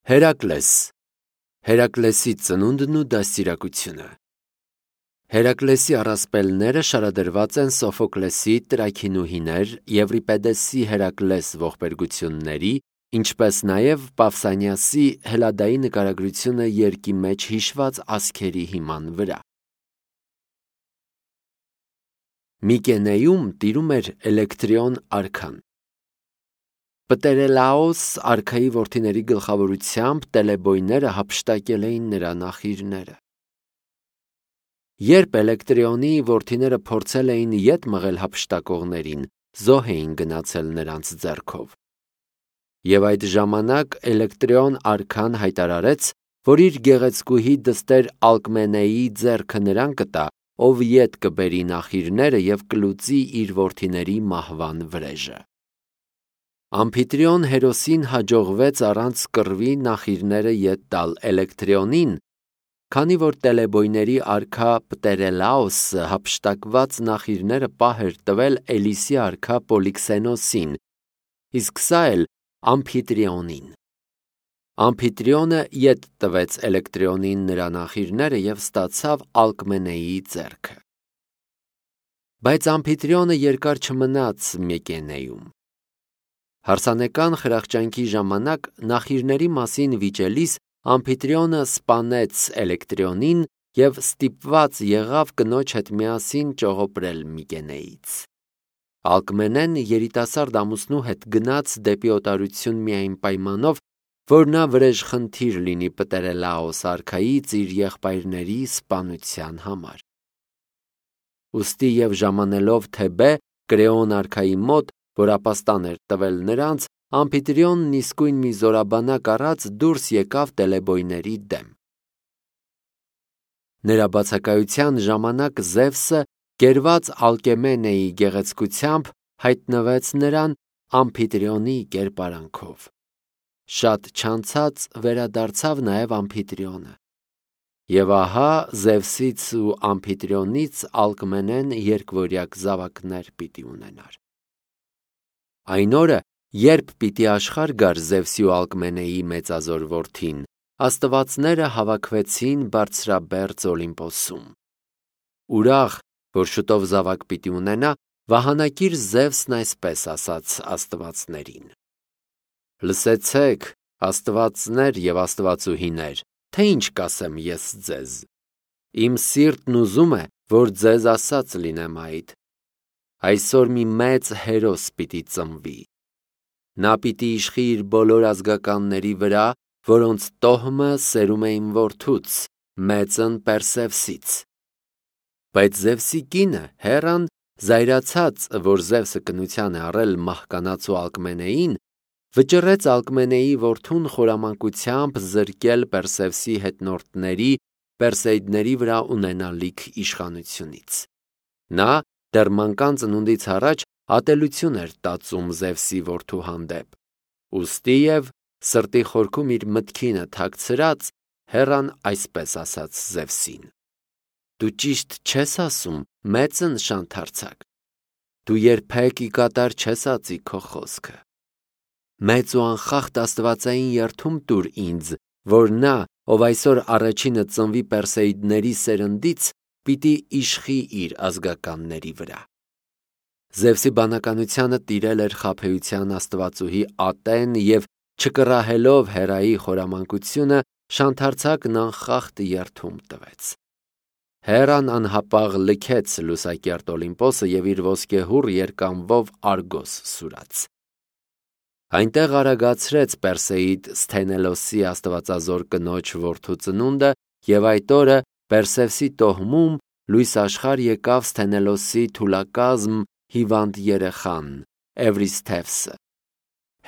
Հերակլես Հերակլեսի ծնունդն ու դաստիարակությունը Հերակլեսի առասպելները շարադրված են Սոֆոկլեսի տրաքինուհիներ, Եվրիպեդեսի Հերակլես ողբերգությունների, ինչպես նաև Պավսանիասի հելադայի նկարագրությունը երկի մեջ հիշված ասքերի հիման վրա։ Միկենեում տիրում էր Էլեկտրիոն արքան։ Պտերելաոս արքայի որդիների գլխավորությամբ տելեբոյները հափշտակել էին նրա նախիրները։ Երբ Էլեկտրիոնի որդիները փորձել էին ետ մղել հափշտակողներին, զոհ էին գնացել նրանց ձեռքով։ Եվ այդ ժամանակ Էլեկտրիոն արքան հայտարարեց, որ իր գեղեցկուհի դստեր Ալկմենեի ձեռքը նրան կտա, ով ետ կբերի նախիրները և կլուծի իր որդիների մահվան վրեժը։ Ամփիտրիոն հերոսին հաջողվեց առանց կռվի նախիրները ետ տալ Էլեկտրիոնին, քանի որ տելեբոյների արքա Պտերելաոսը հափշտակված նախիրները պահ էր տվել Էլիսի արքա Պոլիքսենոսին, իսկ սա էլ Ամփիտրիոնին։ Ամփիտրիոնը ետ տվեց Էլեկտրիոնին նրա նախիրները և ստացավ Ալկմենեի ձեռքը։ Բայց Ամփիտրիոնը երկար չմնաց Միկենեում։ Հարսանեկան խրախճանքի ժամանակ նախիրների մասին վիճելիս Ամփիտրիոնը սպանեց Էլեկտրիոնին և ստիպված եղավ կնոջ հետ միասին ճողոպրել Միկենեից։ Ալկմենեն երիտասարդ ամուսնու հետ գնաց դեպի օտարություն միայն պայմանով, որ նա վրեժխնդիր լինի Պտերելաոս արքայից իր եղբայրների սպանության համար։ Ուստի և ժամանելով Թեբե Կրեոն արքայի մոտ, որ ապաստան էր տվել նրանց, Ամփիտրիոնն իսկույն մի զորաբանակ առած դուրս եկավ տելեբոյների դեմ։ Նրա բացակայության ժամանակ Զևսը, կերված Ալկեմենեի գեղեցկությամբ, հայտնվեց նրան Ամփիտրիոնի կերպարանքով։ Շատ չանցած վերադարձավ նաև Ամփիտրիոնը։ Եվ ահա Զևսից ու Ամփիտրիոնից Ալկմենեն երկվորյակ զավակներ պիտի ունենար։ Այն օրը, երբ պիտի աշխարհ գար Զևսի ու Ալկմենեի մեծազոր որդին, աստվածները հավաքվեցին բարձրաբերձ Օլիմպոսում։ Ուրախ, որ շուտով զավակ պիտի ունենա, վահանակիր Զևսն այսպես ասաց աստվածներին. «Լսեցեք, աստվածներ և աստվածուհիներ, թե ինչ կասեմ ես ձեզ։ Իմ սիրտն ուզում է, որ ձեզ ասած լինեմ այդ։ Այսօր մի մեծ հերոս պիտի ծնվի։ Նա պիտի իշխի իր բոլոր ազգականների վրա, որոնց տոհմը սերում է իմ որդուց, մեծն Պերսևսից։ Բայց Զևսի կինը Հեռան, զայրացած, որ Զևսը կնության է առել մահկանացու Ալկմենեին, վճռեց Ալկմենեի որդուն խորամանկությամբ զրկել Պերսևսի հետնորդների Պերսեիդների վրա ունենալիք իշխանությունից։ Նա դեռ մանկան ծնունդից առաջ ատելություն էր տածում Զևսի որդու հանդեպ, ուստի և սրտի խորքում իր մտքինը թաքցրած, Հեռան այսպես ասաց Զևսին. «Դու ճիշտ չես ասում, մեծն շանթարցակ, դու երբեք ի կատար չես ածի քո խոսքը։ Մեծ ու անխախտ աստվածային երդում տուր ինձ, որ նա, ով այսօր առաջինը ծնվի Պերսեիդների սերնդից, պիտի իշխի իր ազգականների վրա»։ Զևսի բանականությանը տիրել էր խաբեության աստվածուհի ատեն և չկռահելով Հեռայի խորամանկությունը, շանթարցակն անխախտ երդում տվեց։ Հեռան անհապաղ լքեց լուսակերտ Օլիմպոսը և իր ոսկեհուռ երկայնվով Արգոս սուրաց։ Այնտեղ արագացրեց Պերսեիդ Սթենելոսի աստվածազոր կնոջ որդու ծնունդը և այդ օրը Պերսևսի տոհմում լույս աշխարհ եկավ Սթենելոսի թուլակազմ հիվանդ երեխան Էվրիսթևսը։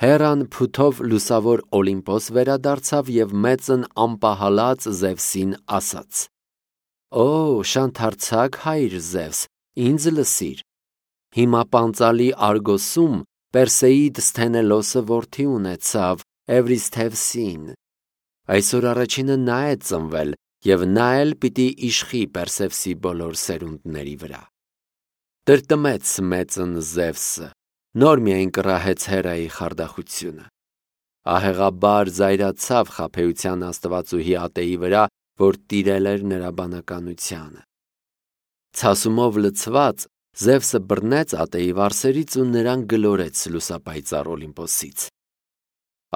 Հեռան փութով լուսավոր Օլիմպոս վերադարձավ և մեծն անպահալած Զևսին ասաց. «Օ, շանթարցակ հայր Զևս, ինձ լսիր. հիմա պանծալի Արգոսում Պերսեիդ Սթենելոսը որդի ունեցավ Էվրիսթևսին։ Այսօր առաջինը նա է ծնվել, և նա էլ պիտի իշխի Պերսևսի բոլոր սերունդների վրա»։ Տրտմեց մեծն Զևսը, նոր միայն կռահեց Հեռայի խարդախությունը։ ահեղաբար զայրացավ խաբեության աստվածուհի ատեի վրա, որ տիրել էր նրա բանականությանը։ Ցասումով լցված Զևսը բռնեց ատեի վարսերից ու նրան գլորեց լուսապայծառ Օլիմպոսից։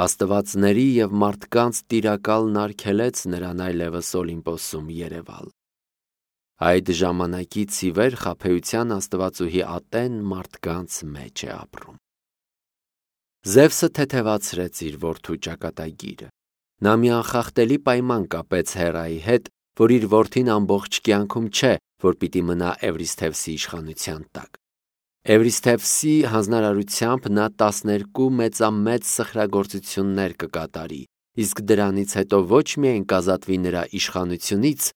Աստվածների և մարդկանց տիրակալն արգելեց նրան այլևս Օլիմպոսում երևալ։ Այդ ժամանակից ի վեր խաբեության աստվածուհի ատեն մարդկանց մեջ է ապրում։ Զևսը թեթևացրեց իր որդու ճակատագիրը։ Նա մի անխախտելի պայման կապեց Հերայի հետ, որ իր որդին ամբողջ կյանքում չէ, որ պիտի մնա Էվրիսթևսի իշխանության տակ։ Էվրիսթևսի հանձնարարությամբ նա 12 մեծամեծ սխրագործություններ կկատարի, իսկ դրանից հետո ոչ միայն կազատվի նրա իշխանությունից,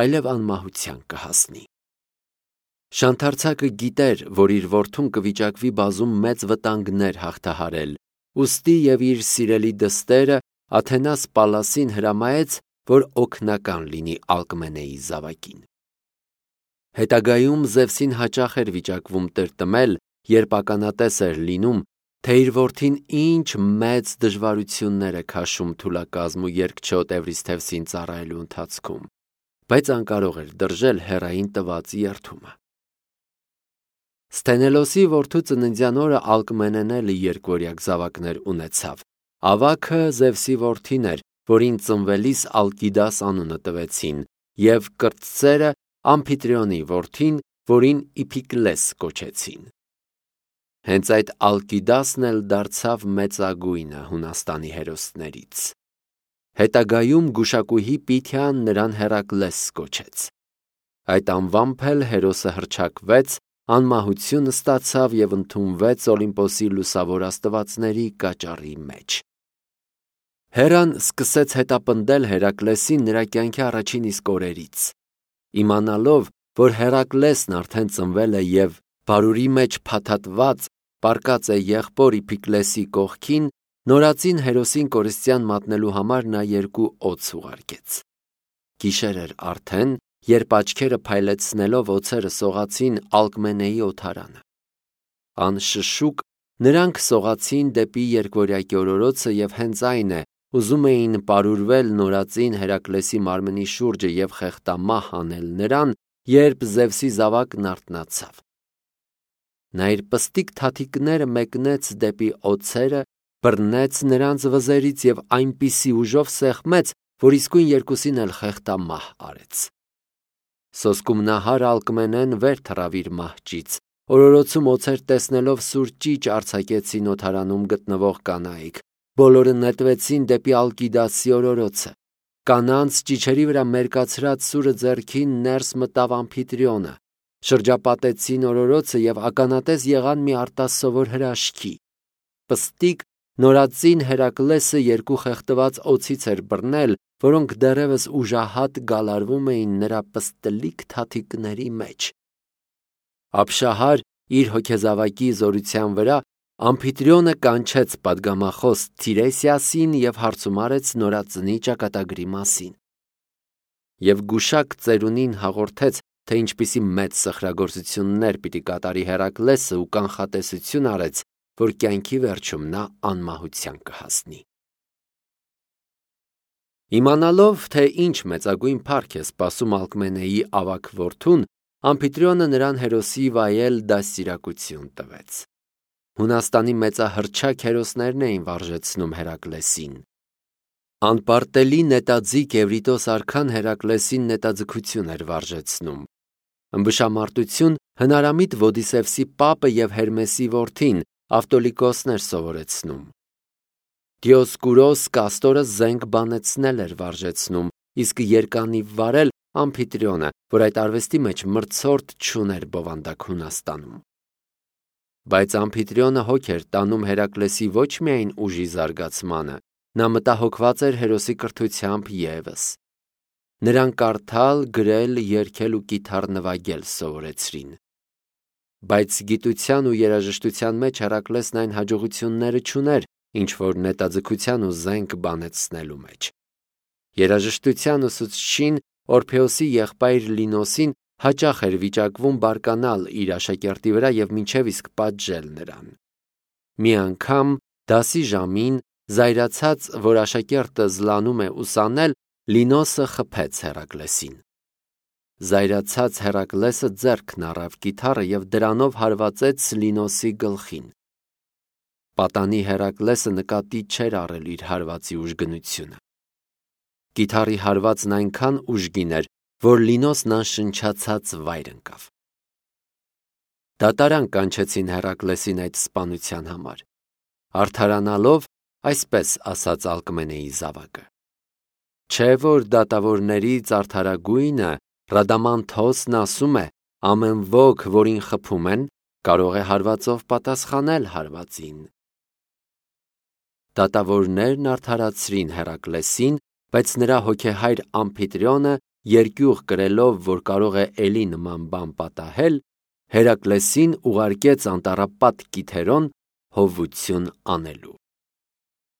այլև անմահության կհասնի։ Շանթարցակը գիտեր, որ իր որդուն կվիճակվի բազում մեծ վտանգներ հաղթահարել, ուստի և իր սիրելի դստերը Աթենաս Պալասին հրամայեց, որ օգնական լինի Ալկմենեի զավակին։ Հետագայում Զևսին հաճախ էր վիճակվում տրտմել, երբ ականատես էր լինում, թե իր որդին ինչ մեծ դժվարություններ է քաշում թուլակազմ ու երկչոտ Էվրիսթևսին ծառայելու ընթացքում, բայց անկարող էր դրժել Հերային տված երդումը։ Սթենելոսի որդու ծննդյան օրը Ալկմենեն էլ երկվորյակ զավակներ ունեցավ։ Ավագը Զևսի որդին էր, որին ծնվելիս Ալկիդաս անունը տվեցին, և կրտսերը Ամփիտրիոնի որդին, որին Իփիկլես կոչեցին։ Հենց այդ Ալկիդասն էլ դարձավ մեծագույնը Հունաստանի հերոսներից։ Հետագայում գուշակուհի Պիթիան նրան Հերակլես կոչեց։ Այդ անվամբ էլ հերոսը հռչակվեց, անմահություն ստացավ և ընդունվեց Օլիմպոսի լուսավոր աստվածների կաճառի մեջ։ Հերան սկսեց հետապնդել Հերակլեսին նրա կյանքի առաջին իսկ օրերից։ Իմանալով, որ Հերակլեսն արդեն ծնվել է և բարուրի մեջ փաթաթված պառկած է եղբոր Իփիկլեսի կողքին, նորածին հերոսին կորստյան մատնելու համար նա 2 օձ ուղարկեց։ Գիշեր էր արդեն, երբ աչքերը փայլեցնելով օձերը սողացին Ալկմենեի օդարանը։ Անշշուկ նրանք սողացին դեպի երկվորյակի օրորոցը և հենց այն է, ուզում էին պարուրվել նորածին Հերակլեսի մարմնի շուրջը և խեղդամահ անել նրան, երբ Զևսի զավակն արթնացավ։ Նա իր պստիկ թաթիկները մեկնեց դեպի օձերը, բռնեց նրանց վզերից և այնպիսի ուժով սեղմեց, որ իսկույն երկուսին էլ խեղդամահ արեց։ Սոսկում նահար Ալկմենեն վեր թռավ իր մահճից, օրորոցում օձեր տեսնելով սուր ճիչ արձակեցին օդարանում գտնվող կանայք, բոլորը նետվեցին դեպի Ալկիդասի օրորոցը։ Կանանց ճիչերի վրա մերկացրած սուրը ձեռքին ներս մտավ Ամփիտրիոնը, շրջապատեցին օրորոցը և ականատես եղան մի արտասովոր հրաշքի։ Պստիկ նորածին Հերակլեսը 2 խեղդված օձից էր բռնել, որոնք դեռևս ուժահատ գալարվում էին նրա պստլիկ թաթիկների մեջ։ Ապշահար իր հոգեզավակի զորության վրա Ամփիտրիոնը կանչեց պատգամախոս Թիրեսիասին և հարցումարեց նորածնի ճակատագրի մասին։ Եվ գուշակ ծերունին հաղորդեց, թե ինչպիսի մեծ սխրագործություններ պիտի կատարի Հերակլեսը ու կանխատեսություն արեց, որ կյանքի վերջում նա անմահության կհասնի։ Իմանալով, թե ինչ մեծագույն փառք է սպասում Ալկմենեի ավագ որդուն, Ամփիտրիոնը նրան հերոսի վայել դաստիարակություն տվեց։ Հունաստանի մեծահռչակ հերոսներն էին վարժեցնում Հերակլեսին։ Անպարտելի նետաձիգ Էվրիտոս արքան Հերակլեսին նետաձգություն էր վարժեցնում։ Ըմբշամարտություն հնարամիտ Ոդիսևսի պապը և Հերմեսի որդին Ավտոլիկոսն էր սովորեցնում։ Դիոսկուրոս Կաստորը զենք բանեցնել էր վարժեցնում, իսկ երկանիվ վարել Ամփիտրիոնը, որ այդ արվեստի մեջ մրցորդ չուներ բովանդակ Հունաստանում։ Բայց Ամփիտրիոնը հոգ էր տանում Հերակլեսի ոչ միայն ուժի զարգացմանը, նա մտահոգված էր հերոսի կրթությամբ ևս։ Նրան կարդալ, գրել, երգել ու կիթառ նվագել սովորեցրին։ Բայց գիտության ու երաժշտության մեջ Հերակլեսն այն հաջողությունները չուներ, ինչ որ նետաձգության ու զենք բանեցնելու մեջ։ Երաժշտության ուսուցչին Օրփեոսի եղբայր Լինոսին հաճախ էր վիճակվում բարկանալ իր աշակերտի վրա և մինչև իսկ պատժել նրան։ Մի անգամ դասի ժամին Զայրացած, որ աշակերտը զլանում է ուսանել, Լինոսը խփեց Հերակլեսին։ Զայրացած Հերակլեսը ձեռքն առավ կիթառը և դրանով հարվածեց Լինոսի գլխին։ Պատանի Հերակլեսը նկատի չէր առել իր հարվածի ուժգնությունը։ Կիթառի հարվածն այնքան ուժգին էր, որ Լինոսն անշնչացած վայր ընկավ։ Դատարան կանչեցին Հերակլեսին այդ սպանության համար։ Արդարանալով, այսպես ասաց Ալկմենեի զավակը. Չէ՞ որ դատավորներից արդարագույնը Ռադամանթոսն ասում է. ամեն ոք, որին խփում են, կարող է հարվածով պատասխանել հարվածին։ Դատավորներն արդարացրին Հերակլեսին, բայց նրա հոգեհայր Ամփիտրիոնը երկյուղ կրելով, որ կարող է էլի նման բան պատահել, Հերակլեսին ուղարկեց անտառապատ Կիթերոն հովություն անելու։